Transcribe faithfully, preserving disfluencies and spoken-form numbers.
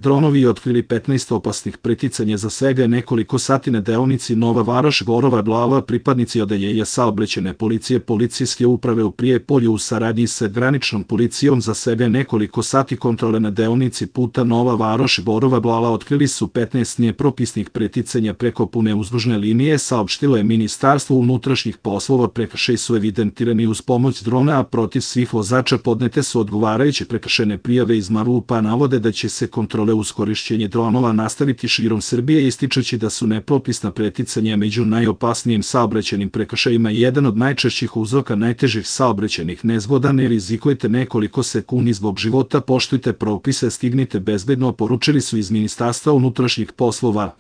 Dronovi otkrili petnaest opasnih preticanja za svega nekoliko sati na deonici Nova Varoš-Borova Glava. Pripadnici odeljenja saobraćajne policije policijske uprave u Prijepolju u saradnji sa graničnom policijom za svega nekoliko sati kontrole na deonici puta Nova Varoš-Borova Glava otkrili su petnaest nepropisnih preticanja preko pune uzdužne linije, saopštilo je Ministarstvo unutrašnjih poslova. Prekršaji su evidentirani uz pomoć drona, a protiv svih vozača podnete su odgovarajuće prekršajne prijave iz MUP-a. Navode da će se kontrole uz korišćenje dronova nastaviti širom Srbije, ističući da su nepropisna preticanja među najopasnijim saobraćajnim prekršajima i jedan od najčešćih uzroka najtežih saobraćajnih nezgoda. Ne rizikujte nekoliko sekundi zbog života, poštujte propise, stignite bezbedno, poručili su iz Ministarstva unutrašnjih poslova.